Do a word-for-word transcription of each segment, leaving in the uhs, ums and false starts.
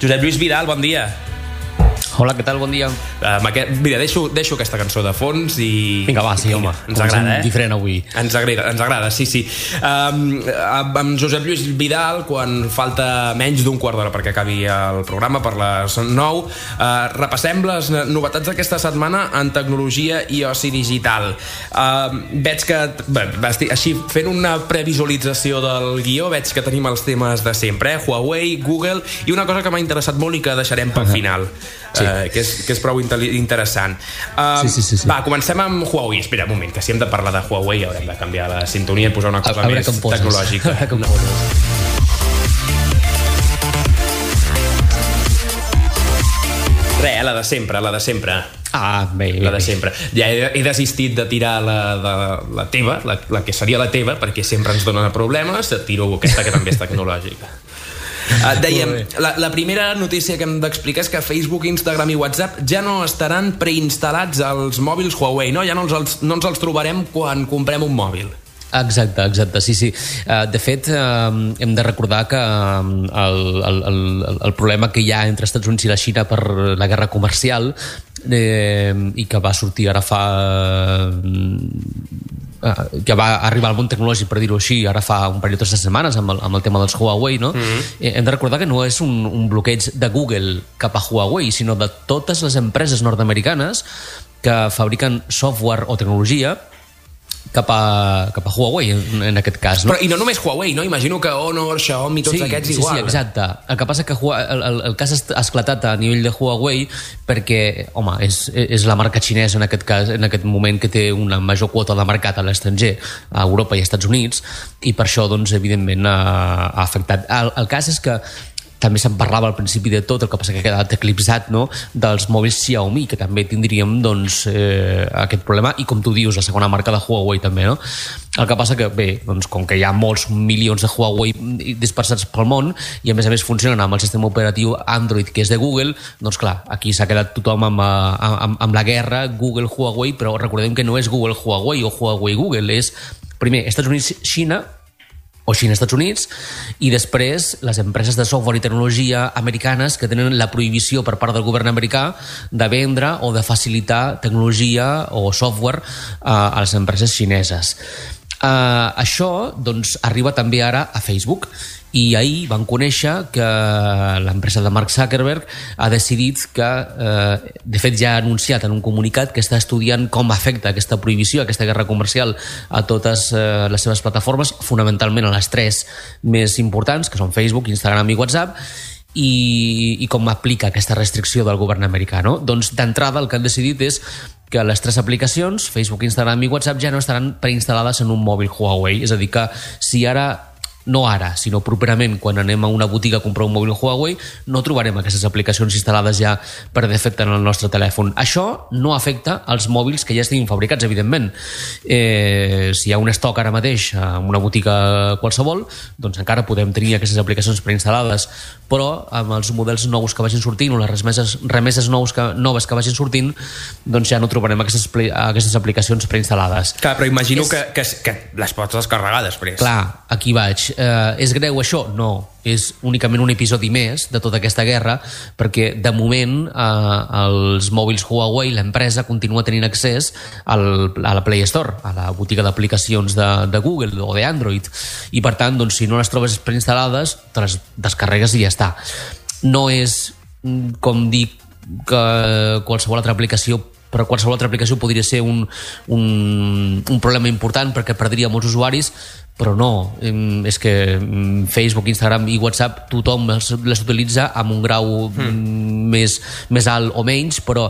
Josep Lluís Vidal, bon dia. Hola, què tal? Bon dia. Uh, aquest, mira, deixo, deixo aquesta cançó de fons i... Vinga, va, sí, home. Ens agrada, eh? Diferent avui. Ens agrada, ens agrada, sí, sí. Um, amb Josep Lluís Vidal, quan falta menys d'un quart d'hora perquè acabi el programa, per les nou, uh, repassem les novetats d'aquesta setmana en tecnologia i oci digital. Uh, veig que, bé, així, fent una previsualització del guió, veig que tenim els temes de sempre, eh? Huawei, Google, i una cosa que m'ha interessat molt i que deixarem pel final. Sí. Uh, que, és, que és prou interessant. Uh, sí, sí, sí, sí. Va, comencem amb Huawei. Espera un moment, que si hem de parlar de Huawei haurem de canviar la sintonia i posar una cosa a, a més tecnològica. A veure com poses. Res, la de sempre, la de sempre. Ah, bé, bé. La de sempre. Ja he, he desistit de tirar la, de, la teva, la, la que seria la teva, perquè sempre ens dona problemes, tiro aquesta que també és tecnològica. Uh, dèiem, la, la primera notícia que hem d'explicar és que Facebook, Instagram i WhatsApp ja no estaran preinstal·lats als mòbils Huawei, no? Ja no ens, no ens els trobarem quan comprem un mòbil. Exacte, exacte, sí, sí. Uh, de fet, uh, hem de recordar que uh, el, el, el, el problema que hi ha entre Estats Units i la Xina per la guerra comercial eh, i que va sortir ara fa... Uh, que va arribar al món tecnològic, per dir-ho així, ara fa un parell de setmanes amb el, amb el tema dels Huawei, no? Mm-hmm. eh, hem de recordar que no és un, un bloqueig de Google cap a Huawei, sinó de totes les empreses nord-americanes que fabriquen software o tecnologia cap a, cap a Huawei, en, en aquest cas, no? Però, i no només Huawei, no? Imagino que Honor, Xiaomi, tots sí, aquests sí, igual. Sí, exacte. El que passa que el, el, el cas ha esclatat a nivell de Huawei perquè, home, és, és la marca xinesa en aquest cas, en aquest moment, que té una major quota de mercat a l'estranger, a Europa i als Estats Units, i per això, doncs, evidentment, ha, ha afectat. El, el cas és que també se'n parlava al principi de tot, el que passa que ha quedat eclipsat, no?, dels mòbils Xiaomi, que també tindríem, doncs, eh, aquest problema, i com tu dius, la segona marca de Huawei també, no? El que passa que, bé, doncs, com que hi ha molts milions de Huawei dispersats pel món i a més a més funcionen amb el sistema operatiu Android, que és de Google, doncs clar, aquí s'ha quedat tothom amb, amb, amb la guerra Google-Huawei, però recordem que no és Google-Huawei o Huawei-Google, és primer Estats Units-Xina o Xina-Estats Units, i després les empreses de software i tecnologia americanes que tenen la prohibició per part del govern americà de vendre o de facilitar tecnologia o software uh, a les empreses xineses. Uh, això, doncs, arriba també ara a Facebook, i ahir van conèixer que l'empresa de Mark Zuckerberg ha decidit que, eh, de fet ja ha anunciat en un comunicat que està estudiant com afecta aquesta prohibició, aquesta guerra comercial a totes eh, les seves plataformes, fonamentalment a les tres més importants, que són Facebook, Instagram i WhatsApp, i, i com aplica aquesta restricció del govern americà, no? Doncs d'entrada el que han decidit és que les tres aplicacions, Facebook, Instagram i WhatsApp, ja no estaran preinstal·lades en un mòbil Huawei, és a dir que si ara no ara, sinó properament, quan anem a una botiga a comprar un mòbil Huawei, no trobarem aquestes aplicacions instal·lades ja per defecte en el nostre telèfon. Això no afecta als mòbils que ja estiguin fabricats, evidentment. Eh, si hi ha un estoc ara mateix en una botiga qualsevol, doncs encara podem tenir aquestes aplicacions preinstal·lades, però amb els models nous que vagin sortint o les remeses, remeses nous que, noves que vagin sortint, doncs ja no trobarem aquestes, aquestes aplicacions preinstal·lades. Clar, però imagino és... que, que, que les pots descarregar després. Clar, aquí vaig. Eh, és greu això? No. És únicament un episodi més de tota aquesta guerra, perquè de moment eh, els mòbils Huawei, l'empresa, continua tenint accés al, a la Play Store, a la botiga d'aplicacions de, de Google o d'Android, i per tant, doncs, si no les trobes preinstal·lades, te les descarregues i ja està. No és, com dic, que qualsevol altra aplicació, però qualsevol altra aplicació podria ser un, un, un problema important perquè perdria molts usuaris, però no, és que Facebook, Instagram i WhatsApp tothom les, les utilitza amb un grau mm. més, més alt o menys, però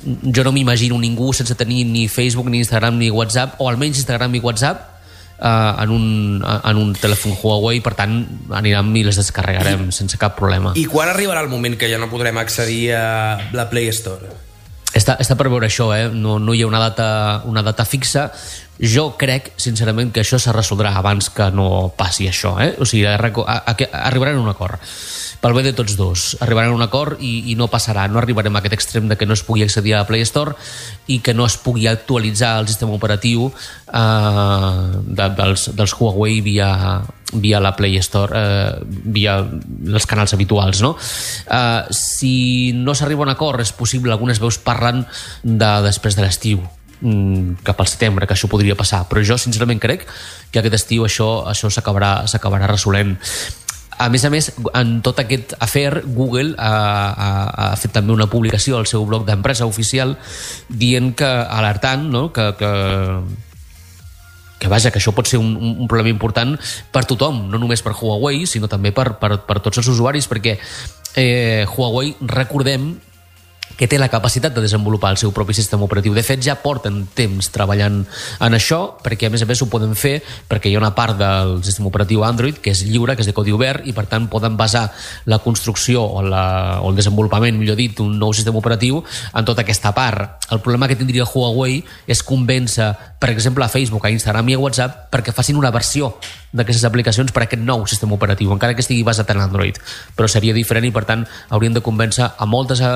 jo no m'imagino ningú sense tenir ni Facebook, ni Instagram, ni WhatsApp, o almenys Instagram i WhatsApp uh, en, un, en un telèfon Huawei. Per tant, anirem i les descarregarem I, sense cap problema. I quan arribarà el moment que ja no podrem accedir a la Play Store? Està, està per veure això, eh? no, no hi ha una data, una data fixa. Jo crec, sincerament, que això se resoldrà abans que no passi això. Eh? O sigui, a, a, a, arribaran a un acord. Pel bé de tots dos. Arribaran a un acord i, i no passarà. No arribarem a aquest extrem de que no es pugui accedir a la Play Store i que no es pugui actualitzar el sistema operatiu eh, de, dels, dels Huawei via, via la Play Store, eh, via els canals habituals, no? Eh, si no s'arriba a un acord, és possible, algunes veus parlen de després de l'estiu, cap al setembre, que això podria passar, però jo sincerament crec que aquest estiu això això s'acabarà s'acabarà resolent. A més a més, en tot aquest afer, Google ha, ha, ha fet també una publicació al seu blog d'empresa oficial dient que, alertant, no? que, que, que vaja, que això pot ser un, un problema important per tothom, no només per Huawei, sinó també per, per, per tots els usuaris, perquè eh, Huawei, recordem, que té la capacitat de desenvolupar el seu propi sistema operatiu. De fet, ja porten temps treballant en això, perquè a més a més ho poden fer perquè hi ha una part del sistema operatiu Android que és lliure, que és de codi obert, i per tant poden basar la construcció o, la, o el desenvolupament, millor dit, d'un nou sistema operatiu en tota aquesta part. El problema que tindria Huawei és convèncer, per exemple, a Facebook, a Instagram i a WhatsApp perquè facin una versió d'aquestes aplicacions per a aquest nou sistema operatiu, encara que estigui basat en Android, però seria diferent i per tant haurien de convèncer a moltes eh,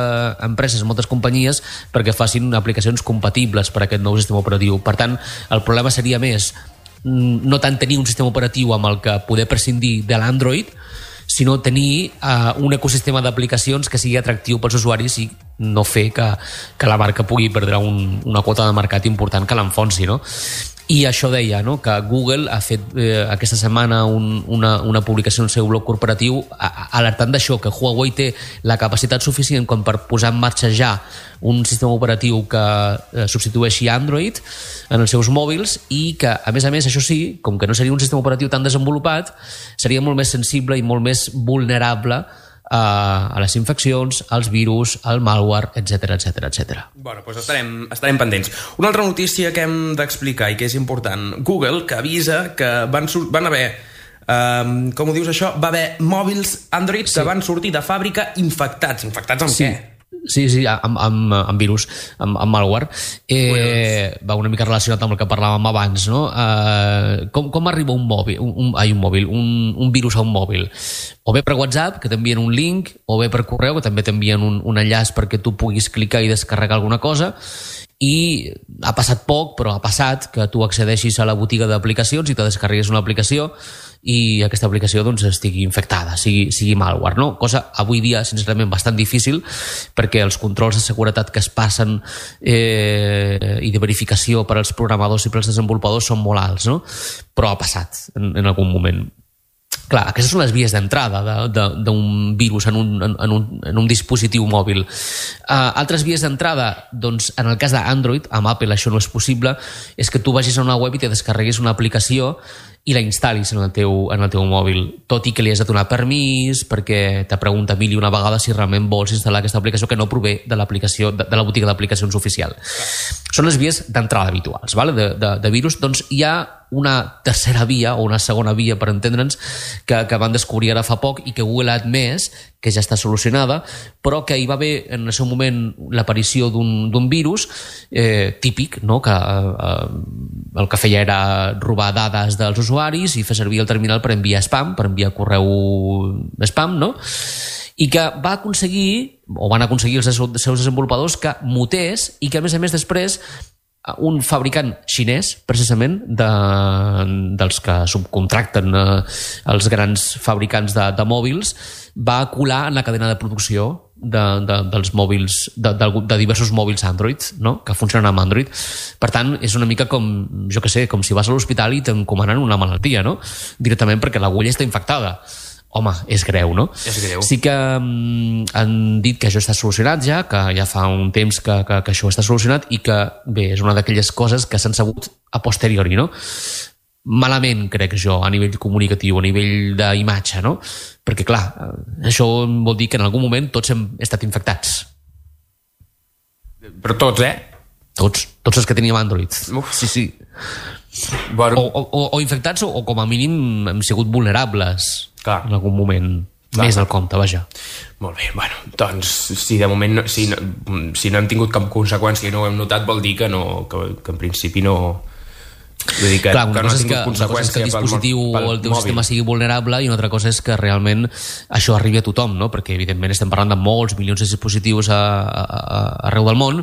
empreses, a moltes companyies perquè facin aplicacions compatibles per a aquest nou sistema operatiu. Per tant, el problema seria més no tant tenir un sistema operatiu amb el que poder prescindir de l'Android, sinó tenir uh, un ecosistema d'aplicacions que sigui atractiu pels usuaris i no fer que, que la marca pugui perdre un, una quota de mercat important que l'enfonsi, no? I això deia, no?, que Google ha fet eh, aquesta setmana un, una, una publicació en el seu blog corporatiu a, alertant d'això, que Huawei té la capacitat suficient com per posar en marxa ja un sistema operatiu que eh, substitueixi Android en els seus mòbils i que, a més a més, això sí, com que no seria un sistema operatiu tan desenvolupat, seria molt més sensible i molt més vulnerable a les infeccions, als virus, al malware, etcètera, etcètera, etcètera. Bueno, doncs estarem, estarem pendents. Una altra notícia que hem d'explicar i que és important. Google, que avisa que van, van haver, um, com ho dius això, va haver mòbils Android sí. que van sortir de fàbrica infectats. Infectats amb sí. què? Sí, sí, amb, amb, amb virus, amb, amb malware. Eh, va una mica relacionat amb el que parlàvem abans, no? Eh, com, com arriba un mòbil, un, un, ai, un, mòbil un, un virus a un mòbil? O bé per WhatsApp, que t'envien un link, o bé per correu, que també t'envien un, un enllaç perquè tu puguis clicar i descarregar alguna cosa. I ha passat poc, però ha passat que tu accedeixis a la botiga d'aplicacions i te descarreguis una aplicació i aquesta aplicació doncs, estigui infectada, sigui, sigui malware, no? Cosa avui dia, sincerament, bastant difícil perquè els controls de seguretat que es passen eh, i de verificació per als programadors i per als desenvolupadors són molt alts, no? Però ha passat en, en algun moment. Clar, aquestes són les vies d'entrada d'un virus en un, en, un, en un dispositiu mòbil. Uh, altres vies d'entrada, doncs, en el cas d'Android, amb Apple això no és possible, és que tu vagis a una web i te descarreguis una aplicació i la instal·lis en el teu, en el teu mòbil, tot i que li has de donar permís perquè te pregunta mil i una vegada si realment vols instal·lar aquesta aplicació que no prové de l'aplicació de, de la botiga d'aplicacions oficial. Són les vies d'entrada habituals, vale? de, de, de virus. Doncs hi ha una tercera via o una segona via, per entendre'ns, que, que van descobrir ara fa poc i que Google ha admès que ja està solucionada, però que hi va haver en el seu moment l'aparició d'un virus eh, típic, no? que eh, el que feia era robar dades dels usuaris i fer servir el terminal per enviar spam, per enviar correu spam, no? I que va aconseguir, o van aconseguir els seus desenvolupadors, que mutés i que, a més a més, després un fabricant xinès, precisament, de, dels que subcontracten eh, els grans fabricants de, de mòbils, va colar en la cadena de producció de, de, dels mòbils, de, de, de diversos mòbils Android, no? Que funcionen amb Android. Per tant, és una mica com, jo què sé, com si vas a l'hospital i t'encomanen una malaltia, no? Directament perquè l'agulla està infectada. Home, és greu, no? És greu. Sí que um, han dit que això està solucionat ja, que ja fa un temps que, que, que això està solucionat i que, bé, és una d'aquelles coses que s'han sabut a posteriori, no? Malament, crec jo, a nivell comunicatiu, a nivell d'imatge, no? Perquè, clar, això vol dir que en algun moment tots hem estat infectats. Però tots, eh? Tots, tots els que teníem Android. Uf. Sí, sí. Bueno. O, o, o infectats o, o com a mínim hem sigut vulnerables. Clar. En algun moment. Clar. Més del compte, vaja. Molt bé, bueno, doncs si de moment no, si, no, si no hem tingut cap conseqüència i no ho hem notat, vol dir que, no, que, que en principi no... Vull dir que, clar, una que no cosa, ha és que, una cosa és que el dispositiu o el teu mòbil. Sistema sigui vulnerable i una altra cosa és que realment això arribi a tothom, no? Perquè evidentment estem parlant de molts milions de dispositius a, a, a, arreu del món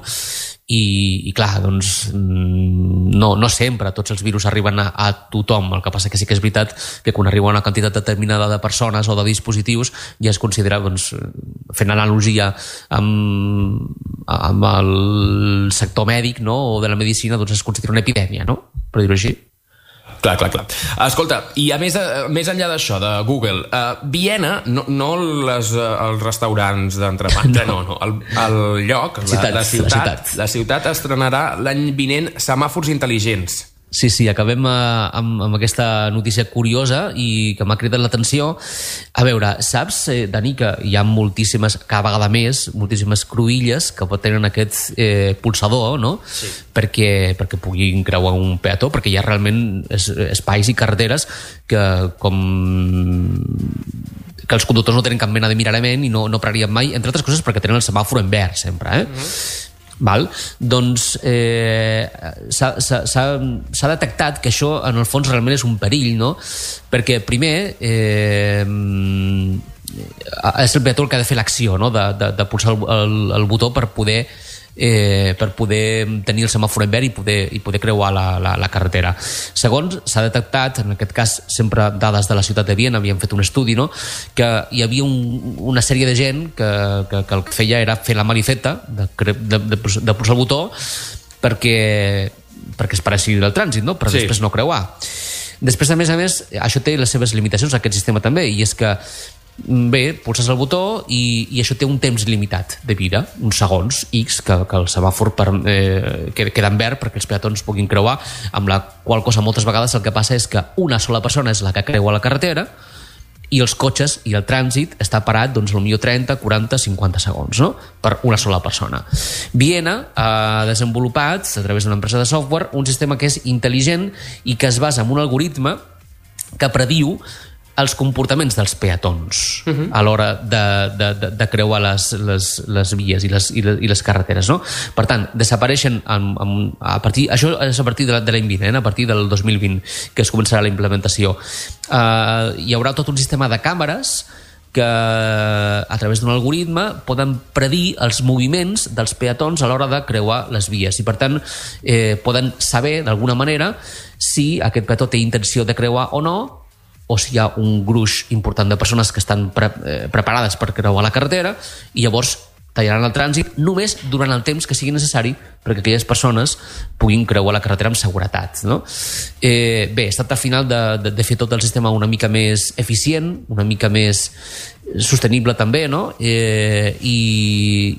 i, i clar, doncs no, no sempre tots els virus arriben a, a tothom. El que passa que sí que és veritat que quan arriba una quantitat determinada de persones o de dispositius ja es considera, doncs, fent analogia amb, amb el sector mèdic, no?, o de la medicina, doncs es considera una epidèmia, no?, per dir-ho així. Clar, clar, clar. Escolta, i a més, a, més enllà d'això, de Google, uh, Viena, no, no les, uh, els restaurants d'entrepans, no, no, no el, el lloc, la, ciutat, la, ciutat, la ciutat, la ciutat estrenarà l'any vinent semàfors intel·ligents. Sí, sí, acabem uh, amb, amb aquesta notícia curiosa i que m'ha cridat l'atenció. A veure, saps, eh, Dani, que hi ha moltíssimes, cada vegada més, moltíssimes cruïlles que tenen aquest eh, pulsador, no?, sí, perquè, perquè puguin creuar un peató, perquè hi ha realment es, espais i carreteres que, com que els conductors no tenen cap mena de mirament i no, no pararien mai, entre altres coses perquè tenen el semàfor en verd sempre, eh? Mm-hmm. Val? Doncs eh, s'ha detectat que això en el fons realment és un perill, no? Perquè primer eh, és el peató el que ha de fer l'acció, no?, de, de, de pulsar el, el, el botó per poder Eh, per poder tenir el semàfor en verd i poder, i poder creuar la, la, la carretera. Segons s'ha detectat, en aquest cas sempre dades de la ciutat de Viena, havien fet un estudi, no?, que hi havia un, una sèrie de gent que, que, que el que feia era fer la marifeta de, de, de, de pulsar el botó perquè, perquè es paressi del trànsit, no?, per sí, després no creuar. Després, a més a més, això té les seves limitacions, aquest sistema també, i és que bé, pulses el botó i, i això té un temps limitat de vida, uns segons X, que, que el semàfor per, eh, queda en verd perquè els peatons puguin creuar, amb la qual cosa moltes vegades el que passa és que una sola persona és la que creua la carretera i els cotxes i el trànsit està parat, doncs, potser trenta, quaranta, cinquanta segons, no?, per una sola persona. Viena ha desenvolupat, a través d'una empresa de software, un sistema que és intel·ligent i que es basa en un algoritme que prediu els comportaments dels peatons uh-huh. a l'hora de, de, de, de creuar les, les, les vies i les, i les, i les carreteres, no? Per tant, desapareixen amb, amb, a partir, això és a partir de l'any vinent, a partir del dos mil vint, que es començarà la implementació. Uh, hi haurà tot un sistema de càmeres que a través d'un algoritme poden predir els moviments dels peatons a l'hora de creuar les vies i per tant eh, poden saber d'alguna manera si aquest peató té intenció de creuar o no, o si hi ha un gruix important de persones que estan pre eh, preparades per creuar la carretera i llavors tallaran el trànsit només durant el temps que sigui necessari perquè aquelles persones puguin creuar la carretera amb seguretat, no? Eh, bé, es tracta al final de, de, de fer tot el sistema una mica més eficient, una mica més sostenible també, no? Eh, i,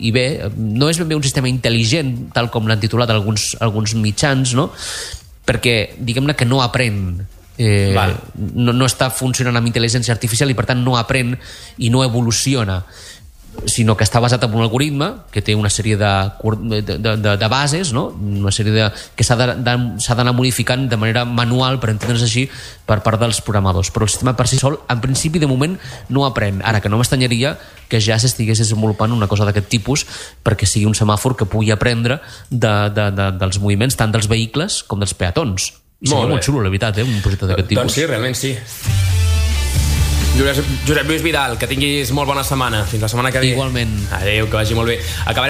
i bé, no és ben bé un sistema intel·ligent tal com l'han titulat alguns, alguns mitjans, no? Perquè diguem-ne que no aprèn, Eh, no, no està funcionant amb intel·ligència artificial i per tant no aprèn i no evoluciona, sinó que està basat en un algoritme que té una sèrie de, de, de, de bases, no? Una sèrie de, que s'ha d'anar modificant de manera manual, per entendre's així, per part dels programadors, però el sistema per si sol en principi de moment no aprèn. Ara, que no m'estranyaria que ja s'estigués desenvolupant una cosa d'aquest tipus perquè sigui un semàfor que pugui aprendre de, de, de, dels moviments tant dels vehicles com dels peatons. I seria molt, molt xulo, la veritat, eh? Un projecte d'aquest tipus. Doncs sí, realment sí. Josep Lluís Vidal, que tinguis molt bona setmana. Fins la setmana que ve. Igualment. Adéu, que vagi molt bé. Acabarem